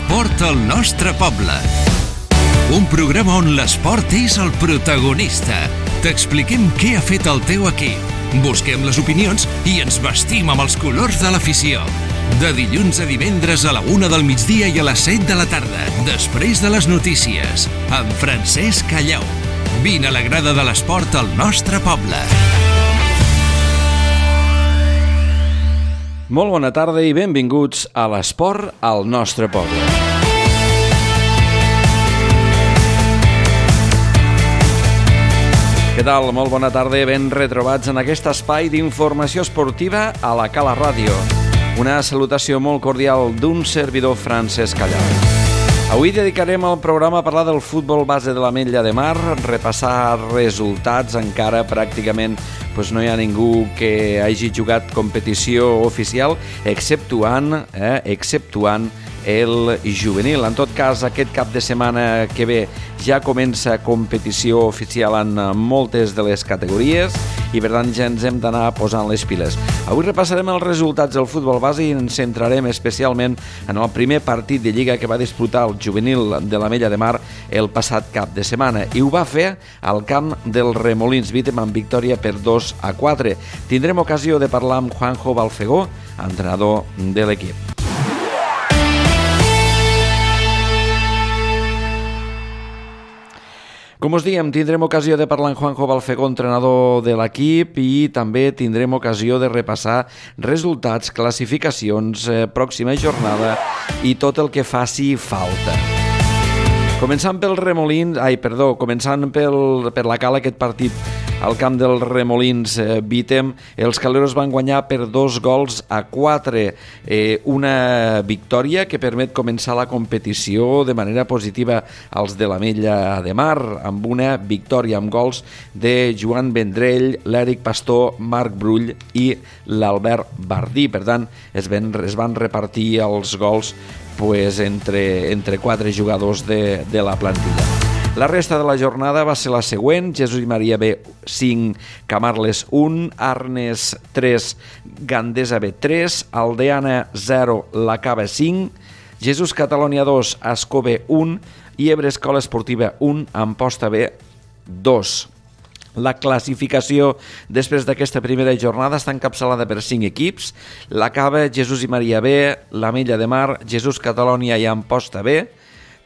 L'esport al nostre poble. Un programa on l'esport és el protagonista. T'expliquem què ha fet el teu equip. Busquem les opinions i ens vestim amb els colors de l'afició. De dilluns a divendres a la 1 del migdia i a les 7 de la tarda, després de les notícies, amb Francesc Callau. Vine a la grada de l'esport al nostre poble. Molt bona tarda i benvinguts a l'esport al nostre poble. Què tal? Molt bona tarda i ben retrobats en aquest espai d'informació esportiva a la Cala Ràdio. Una salutació molt cordial d'un servidor, Francesc Callau. Avui dedicarem el programa a parlar del futbol base de l'Ametlla de Mar, repassar resultats, encara pràcticament no hi ha ningú que hagi jugat competició oficial, exceptuant el juvenil. En tot cas, aquest cap de setmana que ve ja comença competició oficial en moltes de les categories i per tant ja ens hem d'anar posant les piles. Avui repassarem els resultats del futbol base i ens centrarem especialment en el primer partit de Lliga que va disputar el juvenil de l'Ametlla de Mar el passat cap de setmana i ho va fer al camp del Remolins Vítem amb victòria per 2-4. Tindrem ocasió de parlar amb Juanjo Balfegó, entrenador de l'equip. Com us diem, tindrem ocasió de parlar amb Juanjo Balfegó, entrenador de l'equip, i també tindrem ocasió de repassar resultats, classificacions, pròxima jornada i tot el que faci falta. Començant per la Cala, aquest partit al camp del Remolins Vítem, els caleros van guanyar per 2-4, una victòria que permet començar la competició de manera positiva als de l'Ametlla de Mar, amb una victòria amb gols de Joan Vendrell, l'Eric Pastor, Marc Brull i l'Albert Bardí. Per tant, es van repartir els gols entre 4 jugadors de la plantilla. La resta de la jornada va ser la següent: Jesús i Maria B 5, Camarles 1, Arnes 3, Gandesa B 3, Aldeana 0, La Cava 5, Jesús Catalònia 2, Ascó B 1 i Ebre Escola Esportiva 1, Amposta B 2. La classificació després d'aquesta primera jornada està encapçalada per 5 equips: La Cava, Jesús i Maria B, l'Ametlla de Mar, Jesús Catalònia i Amposta B.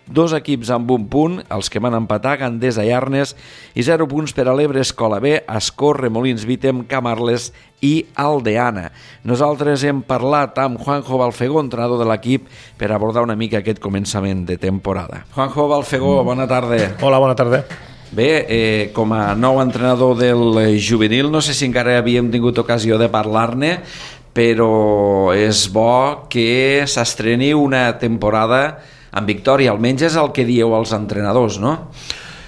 2 equips amb 1 punt, els que van empatar, Gandesa i Arnes, i 0 punts per a l'Ebre Escola B, Ascó, Remolins Vítem, Camarles i Aldeana. Nosaltres hem parlat amb Juanjo Balfegó, entrenador de l'equip, per abordar una mica aquest començament de temporada. Juanjo Balfegó, bona tarda. Hola, bona tarda. Bé, com a nou entrenador del juvenil, no sé si encara havíem tingut ocasió de parlar-ne, però és bo que s'estreni una temporada amb victòria, almenys és el que dieu als entrenadors, no?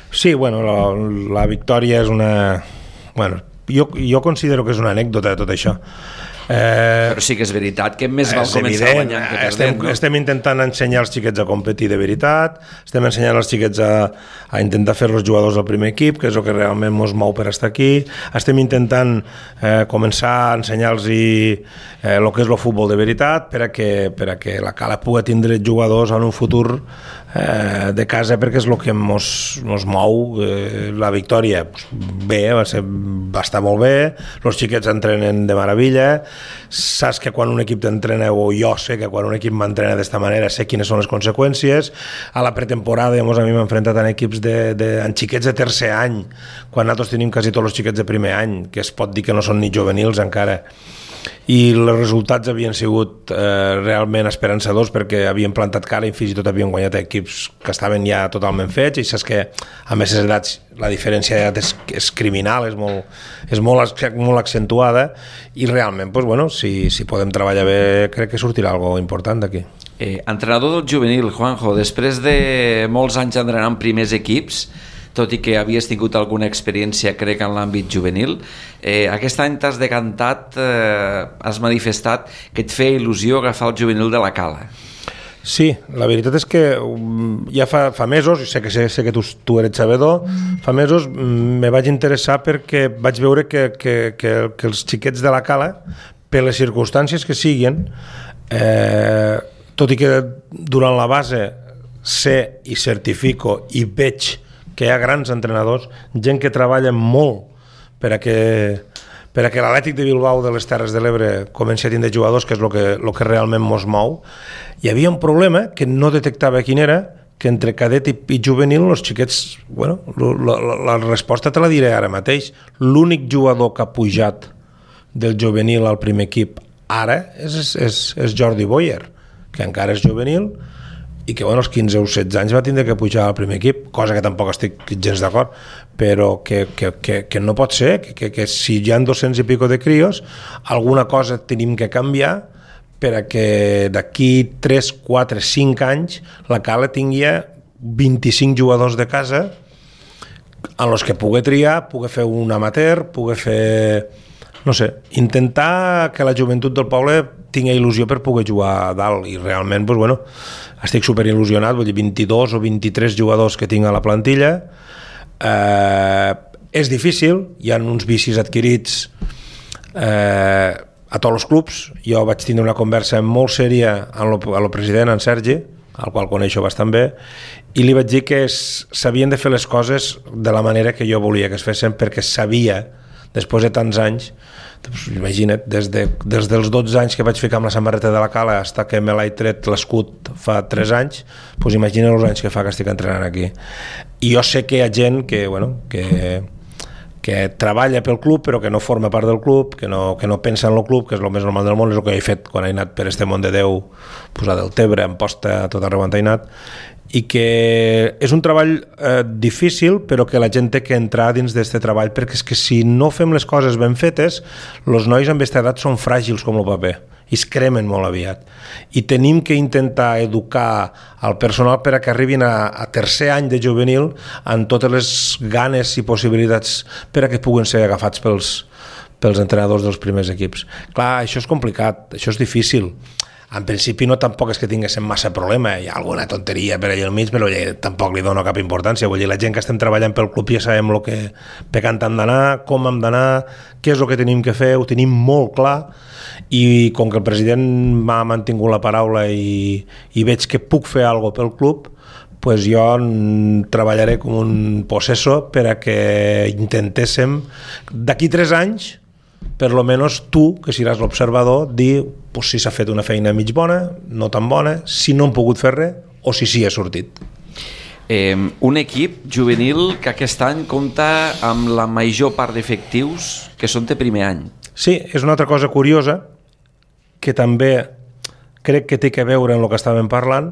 Sí, bueno, la victòria és una... Bueno, jo considero que és una anècdota de tot això. Però sí que és veritat que més val començar guanyant que perdent, no? Estem intentant ensenyar els xiquets a competir de veritat, estem ensenyant els xiquets a intentar fer els jugadors del primer equip, que és el que realment ens mou per estar aquí, estem intentant començar a ensenyar-los el que és el futbol de veritat per a que la Cala pugui tindre jugadors en un futur de casa, perquè és el que ens mou. La victòria bé, va estar molt bé, els xiquets entrenen de meravella, saps que quan un equip t'entrena, o jo sé que quan un equip m'entrena d'esta manera sé quines són les conseqüències. A la pretemporada a mi m'he enfrontat en equips en xiquets de tercer any, quan nosaltres tenim quasi tots els xiquets de primer any, que es pot dir que no són ni juvenils encara, i els resultats havien sigut realment esperançadors, perquè havien plantat cara i fins i tot havien guanyat equips que estaven ja totalment fets, i saps que a més edats la diferència d'edat és criminal, és molt accentuada, i realment si podem treballar bé crec que sortirà alguna cosa important d'aquí. Entrenador del juvenil, Juanjo, després de molts anys entrenant primers equips, tot i que havies tingut alguna experiència, crec, en l'àmbit juvenil, aquest any t'has decantat, has manifestat que et feia il·lusió agafar el juvenil de la Cala. Sí, la veritat és que ja fa mesos, sé que tu eres sabedor, fa mesos me vaig interessar perquè vaig veure que els xiquets de la Cala, per les circumstàncies que siguin, tot i que durant la base sé i certifico i veig que hi ha grans entrenadors, gent que treballa molt per a que l'Atlètic de Bilbao de les Terres de l'Ebre comenci a tindre jugadors, que és el que realment mos mou. Hi havia un problema que no detectava quin era, que entre cadet i juvenil els xiquets, bueno, la resposta te la diré ara mateix. L'únic jugador que ha pujat del juvenil al primer equip ara és Jordi Boyer, que encara és juvenil i que als 15 o 16 anys va tindre que pujar al primer equip, cosa que tampoc estic gens d'acord, però que no pot ser, que si hi ha 200 i pico de crios, alguna cosa tenim que canviar per a que d'aquí 3, 4, 5 anys la Cala tingui 25 jugadors de casa en els que pugui triar, pugui fer un amateur, pugui fer... no sé, intentar que la joventut del poble tingui il·lusió per poder jugar a dalt, i realment, doncs, bueno, estic superil·lusionat, vull dir, 22 o 23 jugadors que tinc a la plantilla. És difícil, hi ha uns vicis adquirits a tots els clubs. Jo vaig tindre una conversa molt sèria amb el president, en Sergi, al qual coneixo bastant bé, i li vaig dir que s'havien de fer les coses de la manera que jo volia que es fessin, perquè sabia, després de tants anys, doncs, imagina't, des dels 12 anys que vaig ficar amb la samarreta de la Cala fins que me l'he tret l'escut fa 3 anys, doncs imagina els anys que fa que estic entrenant aquí. I jo sé que hi ha gent que treballa pel club però que no forma part del club, que no pensa en el club, que és el més normal del món, és el que he fet quan he anat per este món de Déu, posar del Tebre, en posta, tot arreu on he anat, i que és un treball difícil, però que la gent té que entrar dins d'aquest treball, perquè és que si no fem les coses ben fetes, els nois amb aquesta edat són fràgils com el paper i es cremen molt aviat, i tenim que intentar educar el personal per a que arribin a tercer any de juvenil amb totes les ganes i possibilitats per a que puguen ser agafats pels entrenadors dels primers equips. Clar, això és complicat, això és difícil. En principi no tampoc és que tinguéssim massa problema, hi ha alguna tonteria per allà al mig, però tampoc li dono cap importància. Vull dir, la gent que estem treballant pel club ja sabem per què hem d'anar, com hem d'anar, què és el que tenim que fer, ho tenim molt clar, i com que el president m'ha mantingut la paraula i veig que puc fer alguna cosa pel club, pues jo treballaré com un possesso per a que intentéssim d'aquí 3 anys, per lo menos tu, que seràs l'observador, dir pues, si s'ha fet una feina mig bona, no tan bona, si no hem pogut fer res o si sí ha sortit. Un equip juvenil que aquest any compta amb la major part d'efectius que són de primer any. Sí, és una altra cosa curiosa que també crec que té que veure en el que estàvem parlant.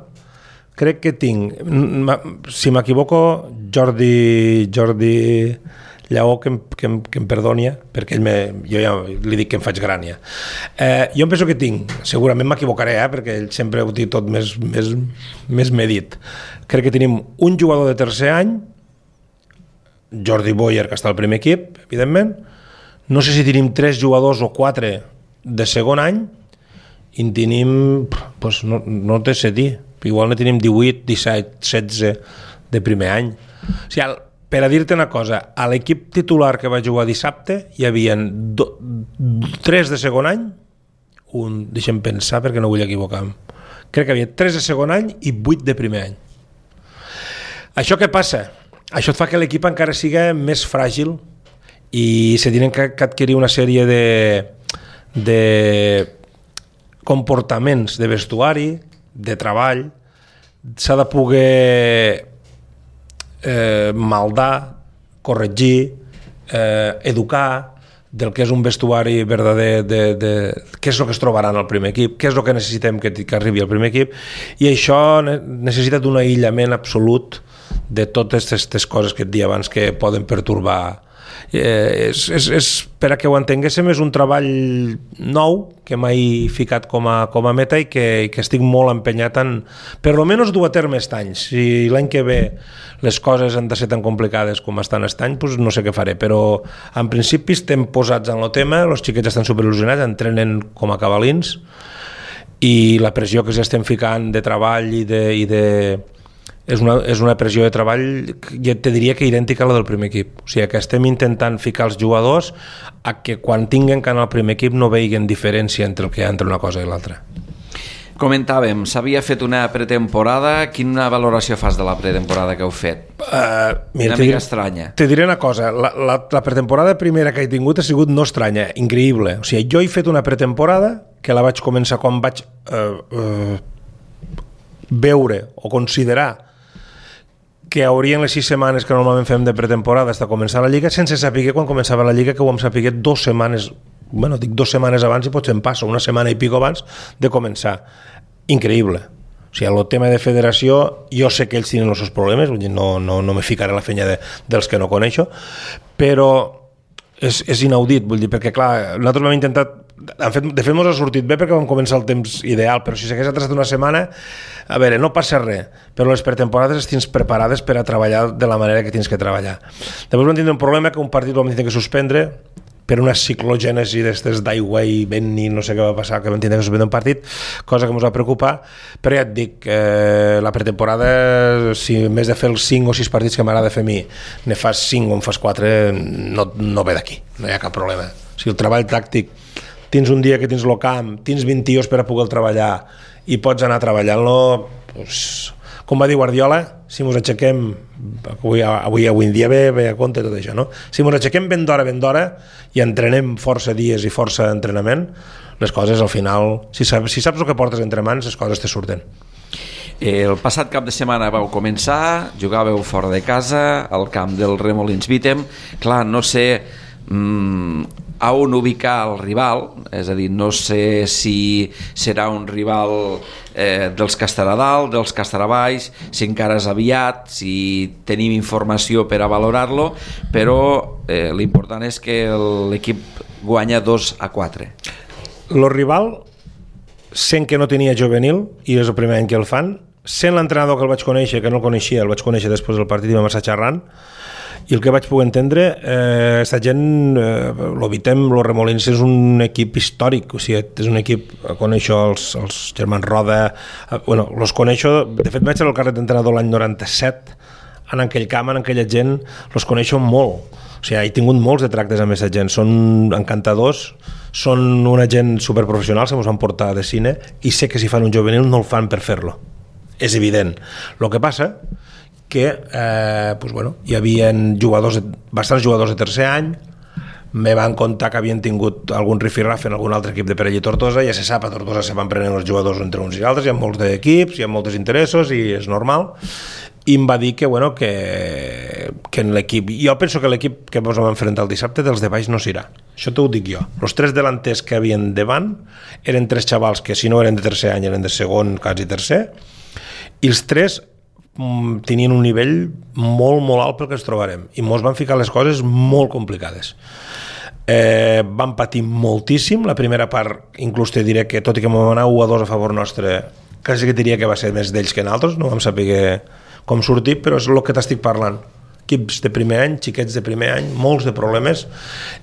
Crec que tinc, si m'equivoco, Jordi Lleó que em perdoni, perquè jo ja li dic que em faig grània. Jo em penso que tinc, segurament m'equivocaré, perquè ell sempre ho diu tot més medit. Crec que tenim un jugador de tercer any, Jordi Boyer, que està al primer equip, evidentment. No sé si tenim 3 jugadors o 4 de segon any, i en tenim, doncs no té sé dir, igual ne tenim 18, 17, 16 de primer any. O sigui, per a dir-te una cosa, a l'equip titular que va jugar dissabte hi havia 3 de segon any, deixem pensar perquè no vull equivocar-me, crec que hi havia 3 de segon any i 8 de primer any. Això què passa? Això et fa que l'equip encara siga més fràgil i se tenen que adquirir una sèrie de comportaments de vestuari, de treball, s'ha de poder maldar, corregir, educar del que és un vestuari verdader, què és el que es trobaran al primer equip, què és el que necessitem que arribi al primer equip, i això necessita d'un aïllament absolut de totes aquestes coses que et dia abans que poden pertorbar. Per a que ho entenguéssim, és un treball nou que m'he ficat com a meta i que estic molt empenyat en per almenys dur a terme aquest any. Si l'any que ve les coses han de ser tan complicades com estan aquest any, doncs no sé què faré, però en principi estem posats en el tema, els xiquets estan superil·lusionats, entrenen com a cavalins, i la pressió que estem ficant de treball és una pressió de treball, jo te diria que idèntica a la del primer equip. O sigui, que estem intentant ficar els jugadors a que quan tinguen que anar al primer equip no veiguen diferència entre el que hi ha entre una cosa i l'altra. Comentàvem, s'havia fet una pretemporada. Quina valoració fas de la pretemporada que heu fet? Mira, una mica estranya. Te diré una cosa, la pretemporada primera que he tingut ha sigut no estranya, increïble. O sigui, jo he fet una pretemporada que la vaig començar quan vaig veure o considerar que haurien les 6 setmanes que normalment fem de pretemporada fins a començar la Lliga, sense saber quan començava la Lliga, que ho vam saber 2 setmanes, bueno, dic 2 setmanes abans i potser em passa, una setmana i pico abans de començar. Increïble. O sigui, el tema de federació, jo sé que ells tenen els seus problemes, vull dir, no me ficaré a la fenya dels que no coneixo, però és inaudit, vull dir, perquè clar, nosaltres vam intentat, de fet mos ha sortit bé perquè vam començar el temps ideal, però si s'hagués atrasat una setmana, a veure, no passa res, però les pretemporades les tens preparades per a treballar de la manera que tens que treballar. Després vam tindre un problema que un partit vam tenir que suspendre per una ciclogènesi d'aigua i vent i no sé què va passar, que vam tenir que suspendre un partit, cosa que ens va preocupar, però ja et dic, la pretemporada, si en vez de fer els 5 o 6 partits que m'agrada fer a mi, ne fas 5 o en fas 4, no ve d'aquí, no hi ha cap problema. O sigui, el treball tàctic, tens un dia que tens el camp, tens 20 tios per a poder treballar i pots anar treballant-lo, doncs, com va dir Guardiola, si ens aixequem, avui en dia ve a compte tot això, no? Si ens aixequem ben d'hora i entrenem força dies i força entrenament, les coses al final, si saps el que portes entre mans, les coses te surten. El passat cap de setmana vau començar, jugàveu fora de casa, al camp del Remolins Vítem. Clar, no sé a on ubicar el rival, és a dir, no sé si serà un rival dels que estarà dalt, dels que estarà baix, si encara és aviat, si tenim informació per a valorar-lo, però l'important és que l'equip guanya 2-4. El rival, sent que no tenia juvenil, i és el primer any que el fan, sent l'entrenador que el vaig conèixer, que no el coneixia, el vaig conèixer després del partit i vam estar xerrant, i el que vaig poder entendre, aquesta gent, l'Ovitem, el Remolins és un equip històric, o sigui, és un equip, coneixo els germans Roda, bueno, els coneixo, de fet vaig ser al carret d'entrenador l'any 97, en aquell camp, en aquella gent, els coneixo molt, o sigui, he tingut molts de tractes amb aquesta gent, són encantadors, són una gent superprofessional, se mos van portar de cine, i sé que si fan un juvenil no el fan per fer-lo, és evident. El que passa que pues bueno, hi havia bastants jugadors de tercer any, me van contar que havien tingut algun rifirraf en algun altre equip de Perell i Tortosa, ja se sap, a Tortosa se van prenent els jugadors entre uns i altres, hi ha molts d'equips, hi ha molts interessos i és normal, i em va dir que, bueno, que en l'equip, jo penso que l'equip que ens vam enfrontar el dissabte dels de baix no s'irà, això t'ho dic jo. Els 3 delanters que havien davant eren 3 xavals que si no eren de tercer any eren de segon, quasi tercer, i els 3 tenien un nivell molt, molt alt pel que ens trobarem, i mos van ficar les coses molt complicades. Van patir moltíssim, la primera part inclús te diré que tot i que vam anar 1-2 a favor nostre, quasi que diria que va ser més d'ells que nosaltres, no vam saber com sortir, però és el que t'estic parlant, equips de primer any, xiquets de primer any, molts de problemes,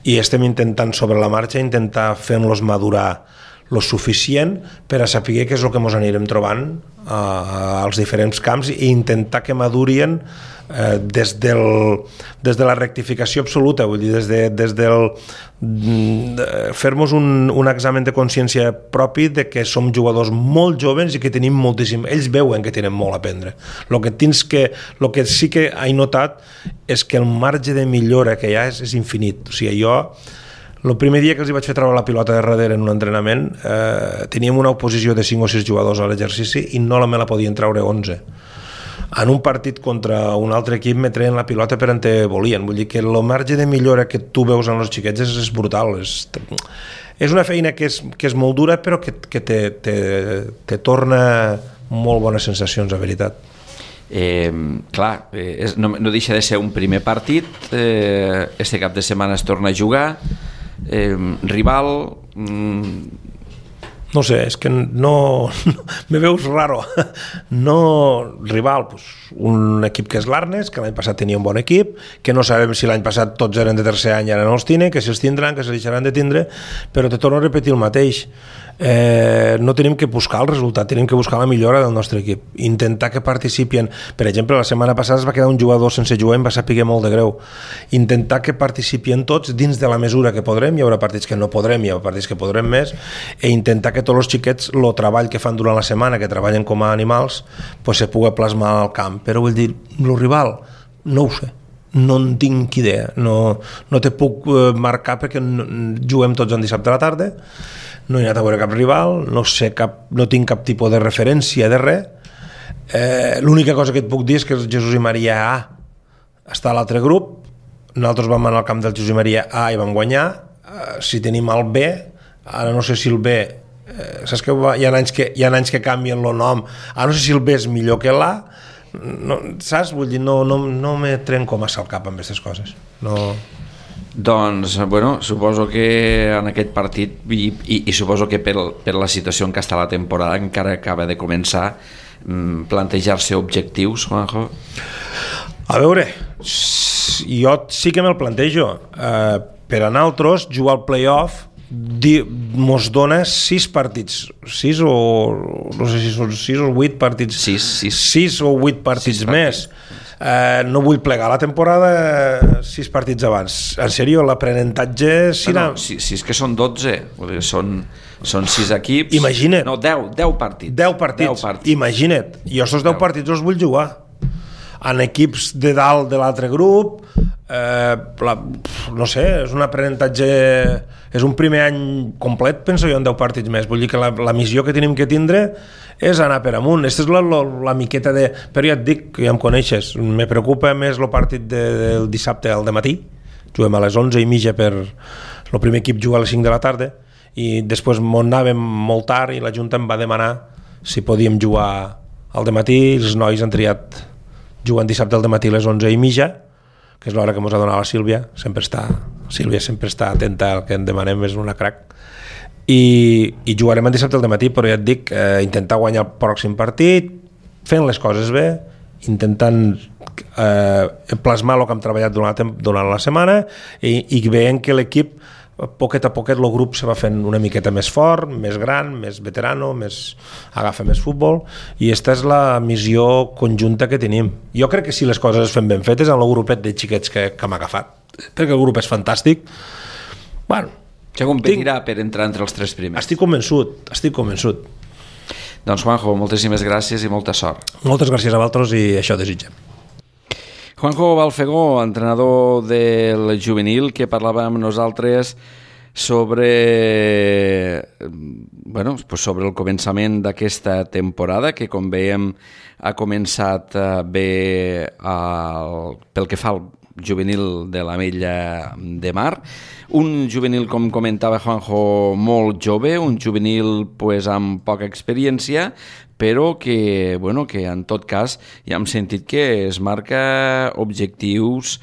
i estem intentant sobre la marxa intentar fer-los madurar lo suficient per a saber què és el que ens anirem trobant als diferents camps i intentar que madurien des de la rectificació absoluta, vull dir, des del fer-nos un examen de consciència propi de que som jugadors molt joves i que tenim moltíssim, ells veuen que tenen molt a aprendre. El que sí que he notat és que el marge de millora que hi ha és infinit. O sigui, jo el primer dia que els vaig fer treure la pilota de darrere en un entrenament, teníem una oposició de 5 o 6 jugadors a l'exercici i no me la podien treure 11. En un partit contra un altre equip me treien la pilota per on te volien. Vull dir que el marge de millora que tu veus en els xiquets és brutal. És una feina que és molt dura, però que te torna molt bones sensacions, a veritat. Clar, no deixa de ser un primer partit, este cap de setmana es torna a jugar, rival, no sé, és que no me veus raro, no rival, pues, un equip que és l'Arnes, que l'any passat tenia un bon equip, que no sabem si l'any passat tots eren de tercer any i ara no els tenen, que si els tindran, que se deixaran de tindre, però te torno a repetir el mateix. no tenim que buscar el resultat, tenim que buscar la millora del nostre equip, intentar que participin. Per exemple, la setmana passada es va quedar un jugador sense jugar i em va saber molt de greu. Intentar que participin tots dins de la mesura que podrem, hi haurà partits que no podrem, hi haurà partits que podrem més, i intentar que tots els xiquets el treball que fan durant la setmana, que treballen com a animals, pues se pugui plasmar al camp. Però vull dir, el rival no ho sé, no en tinc idea, no te puc marcar perquè juguem tots en dissabte a la tarda, no he anat a veure cap rival, no tinc cap tipus de referència de res. L'única cosa que et puc dir és que el Jesús i Maria A està a l'altre grup, nosaltres vam anar al camp del Jesús i Maria A i vam guanyar. Si tenim el B, ara no sé si el B, saps que hi ha anys que canvien el nom, ara no sé si el B és millor que l'A, saps? Vull dir, no me trenco massa el cap amb aquestes coses, no. Doncs, bueno, suposo que en aquest partit i suposo que per la situació en què està la temporada encara acaba de començar, plantejar-se objectius, Juanjo? A veure, jo sí que me'l plantejo. Per a nosaltres, jugar al play-off mos dona 6 partits, 6 o no sé si són 6 o 8 partits, 6 o 8 partits més. No vull plegar la temporada 6 partits abans. En sèrio, l'aprenentatge... Si és que són 12, són 6 equips. Imagina't. No, 10 partits. 10 partits. Imagina't. Jo aquests 10 partits els vull jugar. En equips de dalt de l'altre grup, no sé, és un aprenentatge, és un primer any complet, penso jo, en 10 partits més. Vull dir que la missió que tenim que tindre és anar per amunt. Aquesta és la miqueta de... Però ja et dic, que ja em coneixes, me preocupa més el partit del dissabte al dematí. Juguem a les 11:30 per... El primer equip juga a les 5 de la tarda i després anàvem molt tard i la Junta em va demanar si podíem jugar al dematí. Els nois han triat jugant dissabte al dematí a les 11:30, que és l'hora que ens ha donat la Sílvia. Sílvia sempre està atenta al que en demanem, és una crac. I jugarem el dissabte al dematí, però ja et dic, intentar guanyar el pròxim partit, fent les coses bé, intentant plasmar el que hem treballat durant la setmana i veient que l'equip, poquet a poquet, el grup se va fent una miqueta més fort, més gran, més veterano, agafa més futbol, i aquesta és la missió conjunta que tenim. Jo crec que si les coses es fan ben fetes, en el grupet de xiquets que hem agafat, perquè el grup és fantàstic, bueno, se competirà per entrar entre els 3 primers. Estic convençut. Doncs Juanjo, moltíssimes gràcies i molta sort. Moltes gràcies a vosaltres i això desitgem. Juanjo Balfegó, entrenador del juvenil, que parlava amb nosaltres sobre el començament d'aquesta temporada, que com veiem ha començat bé pel que fa al juvenil de l'Ametlla de Mar, un juvenil, com comentava Juanjo, molt jove, un juvenil amb poca experiència, però que en tot cas ja hem sentit que es marca objectius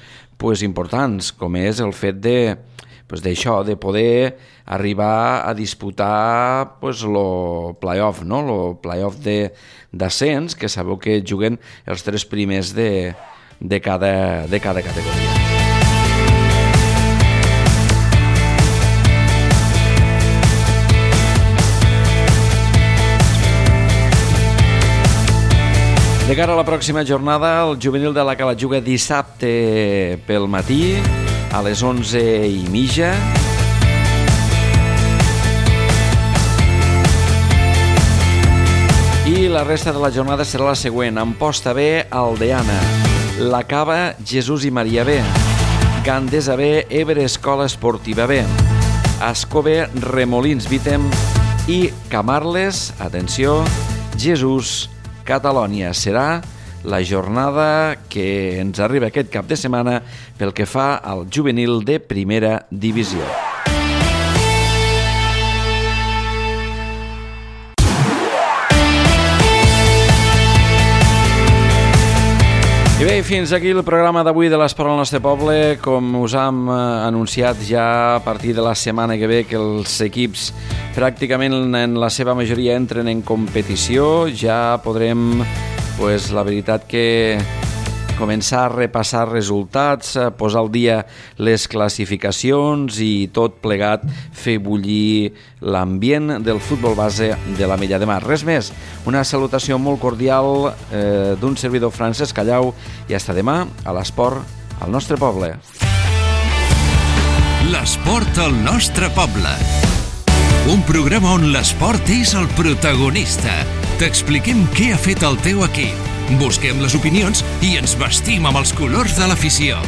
importants, com és el fet d'això, de poder arribar a disputar el play-off, no? El play-off d'ascens, que sabeu que juguen els 3 primers de cada categoria. De cara a la pròxima jornada, el juvenil de la Cala juga dissabte pel matí a les 11:30. I la resta de la jornada serà la següent: Amposta B, Aldeana, La Cava, Jesús i Maria B, Gandesa B, Ebre Escola Esportiva B, Ascó B, Remolins Vítem i Camarles, atenció, Jesús Catalònia. Serà la jornada que ens arriba aquest cap de setmana pel que fa al juvenil de primera divisió. I bé, fins aquí el programa d'avui de l'Esport al nostre poble. Com us hem anunciat ja a partir de la setmana que ve, que els equips pràcticament en la seva majoria entren en competició, ja podrem, la veritat que començar a repassar resultats, posar al dia les classificacions i tot plegat fer bullir l'ambient del futbol base de l'Ametlla de Mar. Res més, una salutació molt cordial d'un servidor Francesc Callau i hasta demà a l'esport al nostre poble. L'esport al nostre poble. Un programa on l'esport és el protagonista. T'expliquem què ha fet el teu equip. Busquem les opinions i ens vestim amb els colors de l'afició.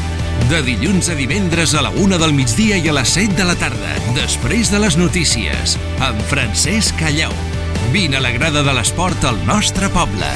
De dilluns a divendres a la 1 del migdia i a les 7 de la tarda, després de les notícies, amb Francesc Callau. Vine a la grada de l'esport al nostre poble.